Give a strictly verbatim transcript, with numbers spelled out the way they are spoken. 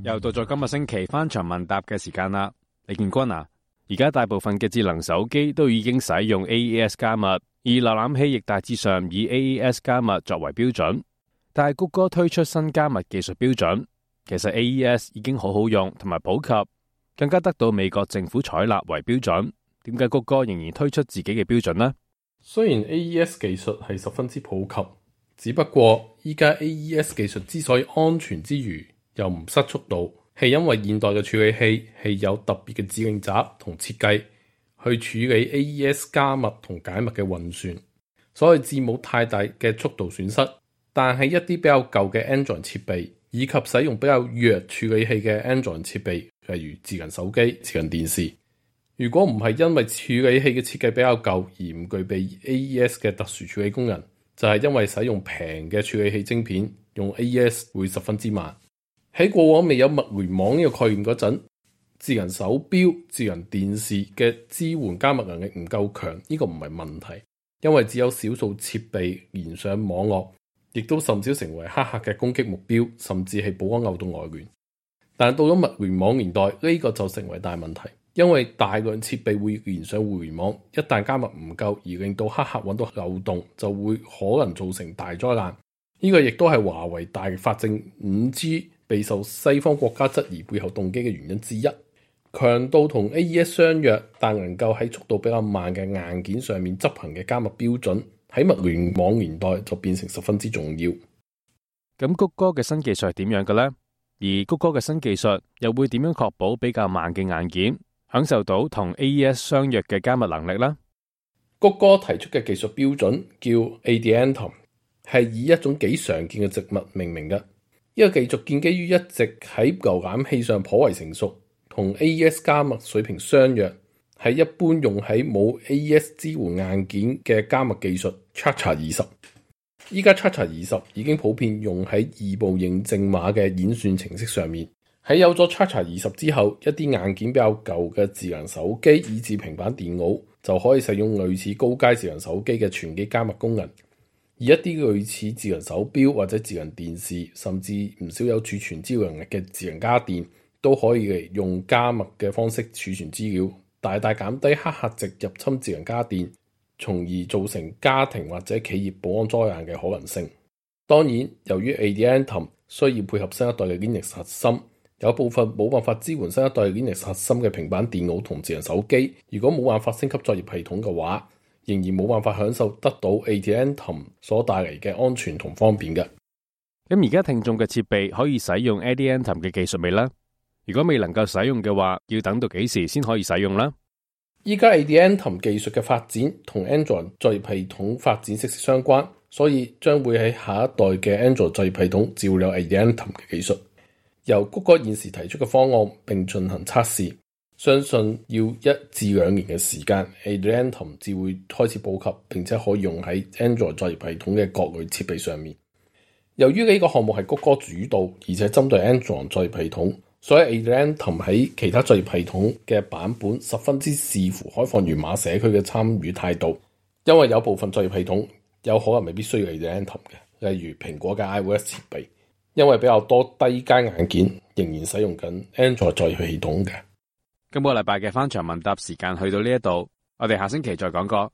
又到咗今個星期翻牆問答嘅時間啦，李建軍啊，而家大部分嘅智能手機都已經使用 A E S 加密，而瀏覽器亦大致上以 A E S 加密作為標準。但係谷歌推出新加密技術標準，其實 A E S 已經好好用同埋普及，更加得到美國政府採納為標準。點解谷歌仍然推出自己嘅標準呢？雖然 A E S 技術係十分之普及，只不過依家 A E S 技術之所以安全之餘又唔失速度，係因為現代嘅處理器係有特別嘅指令集同設計去處理 A E S 加密同解密嘅運算，所以至冇太大嘅速度損失。但係一啲比較舊嘅 Android 設備以及使用比較弱處理器嘅 Android 設備，例如智能手機、智能電視，如果唔係因為處理器嘅設計比較舊而唔具備 A E S 嘅特殊處理功能，就係、是、因為使用平嘅處理器晶片，用 A E S 會十分之慢。喺過往未有物聯網呢個概念嗰陣，智能手錶、智能電視嘅支援加密能力唔夠強，呢、這個唔係問題，因為只有少數設備連上網絡，亦都甚少成為黑客嘅攻擊目標，甚至係保安漏洞來源。但到咗物聯網年代，呢、這個就成為大問題，因為大量設備會連上互聯網，一旦加密唔夠而令到黑客揾到漏洞，就會可能造成大災難。呢、這個亦都係華為大力發展 五 G備受西方國家質疑背後動機嘅原因之一。強度同 A E S 相若，但能夠喺速度比較慢嘅硬件上面執行嘅加密標準，喺物聯網年代就變成十分之重要。咁谷歌嘅新技術係點樣嘅呢？而谷歌嘅新技術又會點樣確保比較慢嘅硬件享受到同 A E S 相若嘅加密能力呢？谷歌提出嘅技術標準叫 Adiantum， 係以一種幾常見嘅植物命名嘅。呢個技術建基於一直喺瀏覽器上頗為成熟，同 A E S 加密水平相若，係一般用喺冇 A E S 支援硬件嘅加密技術 Chacha 二十。依家 Chacha 二十已經普遍用喺異步認證碼嘅演算程式上面。喺有咗 Chacha 二十之後，一啲硬件比較舊嘅智能手機以至平板電腦就可以使用類似高階智能手機嘅全機加密功能。而一啲類似智能手錶或者智能電視，甚至唔少有儲存資料能力嘅智能家電，都可以用加密嘅方式儲存資料，大大減低黑客直入侵智能家電，從而造成家庭或者企業保安災難嘅可能性。當然，由於 Adiantum 需要配合新一代嘅 Linux 核心，有部分冇辦法支援新一代 Linux 核心嘅平板電腦同智能手機，如果冇辦法升級作業系統嘅話，仍然冇辦法享受得到 Adiantum 所帶嚟嘅安全同方便嘅。咁而家聽眾嘅設備可以使用 Adiantum 嘅技術未呢？如果未能夠使用嘅話，要等到幾時先可以使用呢？依家 Adiantum 技術嘅發展同 Android 作業系統發展息息相關，所以將會喺下一代嘅 Android 作業系統照有 Adiantum 嘅技術。由谷歌現時提出嘅方案並進行測試，相信要一至兩年嘅時間 Adiantum 至會開始普及，並且可以用喺 Android 作業系統嘅各類設備上面。由於呢個項目係谷歌主導，而且針對 Android 作業系統，所以 Adiantum 喺其他作業系統嘅版本十分之視乎開放源碼社區嘅參與態度。因為有部分作業系統有可能未必需要 Adiantum 嘅，例如蘋果嘅 iOS 設備，因為比較多低階硬件仍然使用緊 Android 作業系統嘅。今個禮拜嘅翻牆問答時間去到呢一度，我哋下星期再講過。